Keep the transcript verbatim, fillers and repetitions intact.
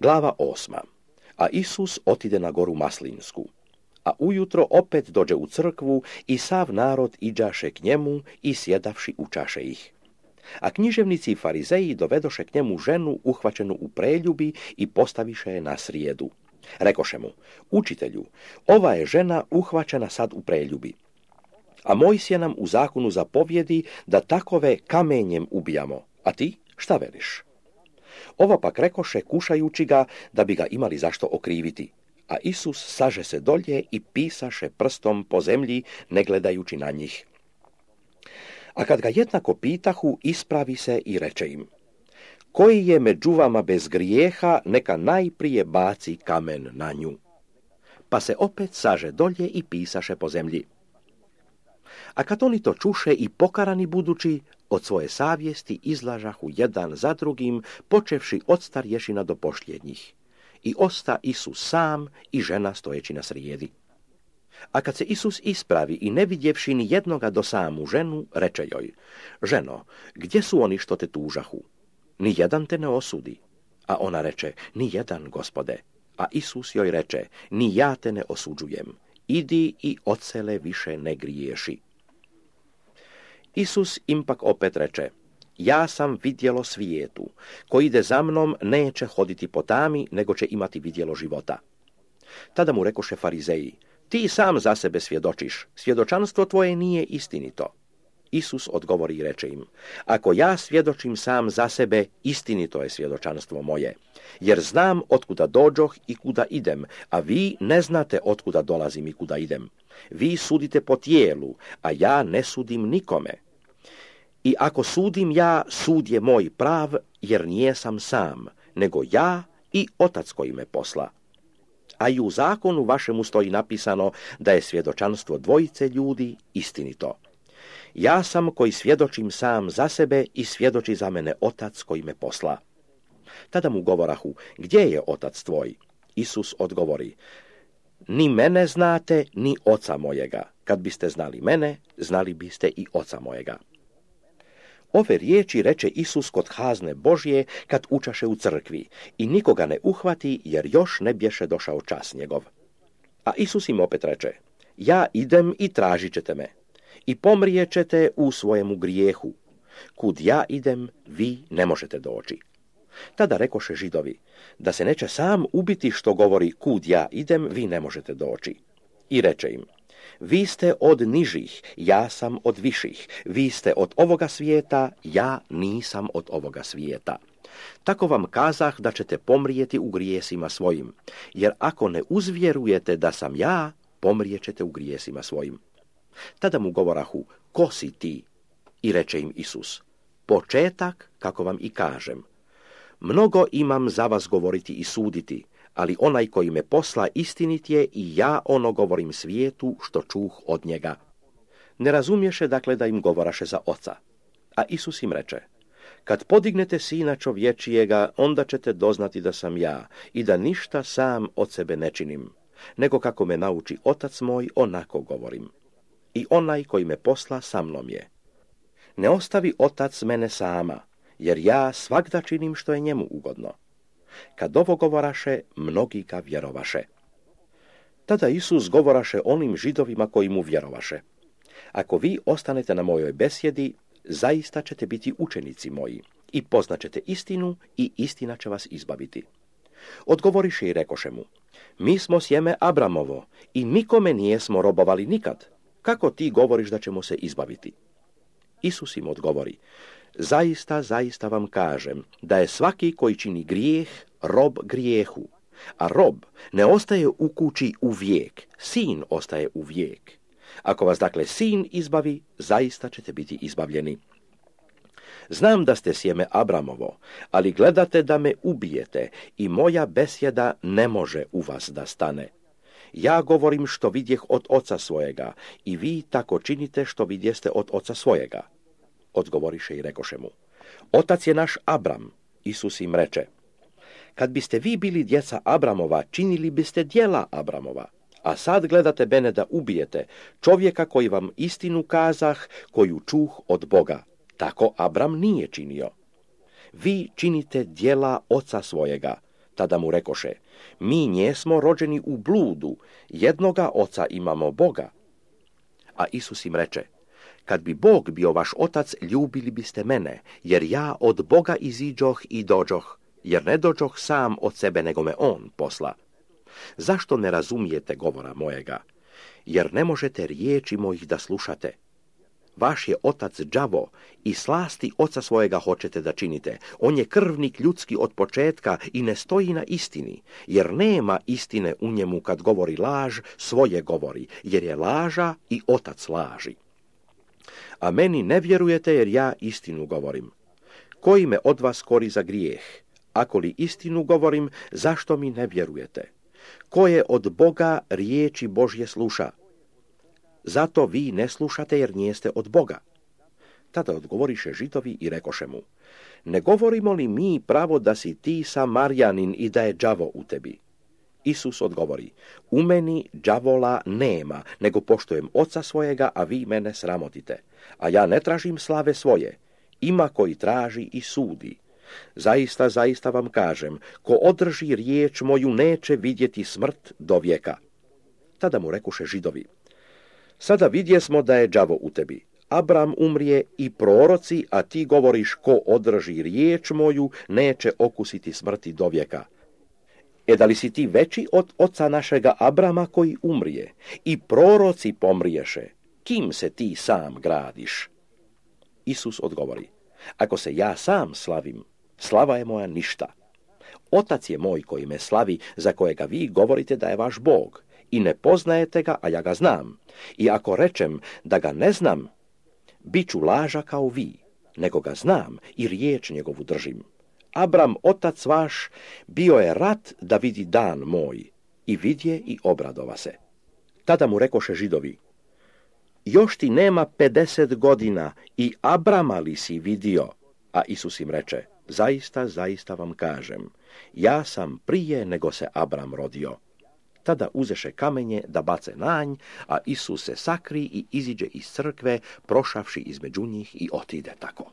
Glava osma. A Isus otide na goru Maslinsku. A ujutro opet dođe u crkvu i sav narod iđaše k njemu i sjedavši učaše ih. A književnici i farizeji dovedoše k njemu ženu uhvaćenu u preljubi i postaviše je na srijedu. Rekoše mu, učitelju, ova je žena uhvaćena sad u preljubi. A Mojsije nam u zakonu zapovjedi da takove kamenjem ubijamo, a ti šta veliš? Ovo pak rekoše kušajući ga da bi ga imali zašto okriviti. A Isus saže se dolje i pisaše prstom po zemlji, ne gledajući na njih. A kad ga jednako pitahu, ispravi se i reče im, koji je među vama bez grijeha, neka najprije baci kamen na nju. Pa se opet saže dolje i pisaše po zemlji. A kad oni to čuše i pokarani budući, od svoje savjesti izlažahu jedan za drugim, počevši od starješina do pošljednjih. I osta Isus sam i žena stojeći na srijedi. A kad se Isus ispravi i ne vidjevši ni jednoga do samu ženu, reče joj, ženo, gdje su oni što te tužahu? Ni jedan te ne osudi. A ona reče, ni jedan, Gospode. A Isus joj reče, ni ja te ne osuđujem. Idi i odsele više ne griješi. Isus im pak opet reče, ja sam vidjelo svijetu, ko ide za mnom neće hoditi po tami, nego će imati vidjelo života. Tada mu rekoše farizeji, ti sam za sebe svjedočiš, svjedočanstvo tvoje nije istinito. Isus odgovori i reče im, ako ja svjedočim sam za sebe, istinito je svjedočanstvo moje, jer znam otkuda dođoh i kuda idem, a vi ne znate otkuda dolazim i kuda idem. Vi sudite po tijelu, a ja ne sudim nikome. I ako sudim ja, sud je moj prav, jer nijesam sam, nego ja i Otac koji me posla. A i u zakonu vašemu stoji napisano da je svjedočanstvo dvojice ljudi istinito. Ja sam koji svjedočim sam za sebe i svjedoči za mene Otac koji me posla. Tada mu govorahu, gdje je Otac tvoj? Isus odgovori, ni mene znate, ni Oca mojega. Kad biste znali mene, znali biste i Oca mojega. Ove riječi reče Isus kod kazne Božje kad učaše u crkvi i nikoga ne uhvati jer još ne bješe došao čas njegov. A Isus im opet reče, ja idem i tražit ćete me i pomrijećete u svojemu grijehu. Kud ja idem, vi ne možete doći. Tada rekoše Židovi, da se neće sam ubiti što govori kud ja idem, vi ne možete doći. I reče im, vi ste od nižih, ja sam od viših, vi ste od ovoga svijeta, ja nisam od ovoga svijeta. Tako vam kazah da ćete pomrijeti u grijesima svojim, jer ako ne uzvjerujete da sam ja, pomrijećete u grijesima svojim. Tada mu govorahu, ko si ti? I reče im Isus, početak, kako vam i kažem. Mnogo imam za vas govoriti i suditi, ali onaj koji me posla istinit je i ja ono govorim svijetu što čuh od njega. Ne razumješe dakle da im govoraše za Oca. A Isus im reče, kad podignete Sina čovječijega, onda ćete doznati da sam ja i da ništa sam od sebe ne činim, nego kako me nauči Otac moj, onako govorim. I onaj koji me posla sa mnom je. Ne ostavi Otac mene sama, jer ja svagda činim što je njemu ugodno. Kad ovo govoraše, mnogi ga vjerovaše. Tada Isus govoraše onim Židovima koji mu vjerovaše. Ako vi ostanete na mojoj besjedi, zaista ćete biti učenici moji i poznaćete istinu i istina će vas izbaviti. Odgovoriše i rekoše mu, mi smo sjeme Abramovo i nikome nijesmo robovali nikad. Kako ti govoriš da ćemo se izbaviti? Isus im odgovori, zaista, zaista vam kažem da je svaki koji čini grijeh rob grijehu, a rob ne ostaje u kući u vijek, sin ostaje u vijek. Ako vas dakle sin izbavi, zaista ćete biti izbavljeni. Znam da ste sjeme Abramovo, ali gledate da me ubijete i moja besjeda ne može u vas da stane. Ja govorim što vidjeh od oca svojega i vi tako činite što vidjeste od oca svojega. Odgovoriše i rekoše mu, otac je naš Abram. Isus im reče, kad biste vi bili djeca Abramova, činili biste djela Abramova. A sad gledate mene da ubijete čovjeka koji vam istinu kazah, koju čuh od Boga. Tako Abram nije činio. Vi činite djela oca svojega, Tada mu rekoše, mi njesmo rođeni u bludu, jednoga oca imamo Boga. A Isus im reče, kad bi Bog bio vaš otac, ljubili biste mene, jer ja od Boga iziđoh i dođoh, jer ne dođoh sam od sebe, nego me on posla. Zašto ne razumijete govora mojega? Jer ne možete riječi mojih da slušate. Vaš je otac đavo i slasti oca svojega hoćete da činite. On je krvnik ljudski od početka i ne stoji na istini, jer nema istine u njemu. Kad govori laž, svoje govori, jer je laža i otac laži. A meni ne vjerujete, jer ja istinu govorim. Koji me od vas kori za grijeh? Ako li istinu govorim, zašto mi ne vjerujete? Ko je od Boga riječi Božje sluša? Zato vi ne slušate, jer nijeste od Boga. Tada odgovoriše Židovi i rekoše mu, ne govorimo li mi pravo da si ti Samarjanin i da je đavo u tebi? Isus odgovori, u meni đavola nema, nego poštujem oca svojega, a vi mene sramotite. A ja ne tražim slave svoje, ima koji traži i sudi. Zaista, zaista vam kažem, ko održi riječ moju, neće vidjeti smrt do vijeka. Tada mu rekoše Židovi, sada vidjesmo da je đavo u tebi. Abram umrije i proroci, a ti govoriš, ko održi riječ moju, neće okusiti smrti do vijeka. E da li si ti veći od oca našega Abrama koji umrije? I proroci pomriješe. Kim se ti sam gradiš? Isus odgovori, ako se ja sam slavim, slava je moja ništa. Otac je moj koji me slavi, za kojega vi govorite da je vaš Bog. I ne poznajete ga, a ja ga znam. I ako rečem da ga ne znam, bit ću laža kao vi, nego ga znam i riječ njegovu držim. Abram, otac vaš, bio je rat da vidi dan moj, i vidje i obradova se. Tada mu rekoše Židovi, još ti nema pedeset godina i Abrama li si vidio? A Isus im reče, zaista, zaista vam kažem, ja sam prije nego se Abram rodio. Tada uzeše kamenje da bace na nj, a Isus se sakri i iziđe iz crkve, prošavši između njih i otide tako.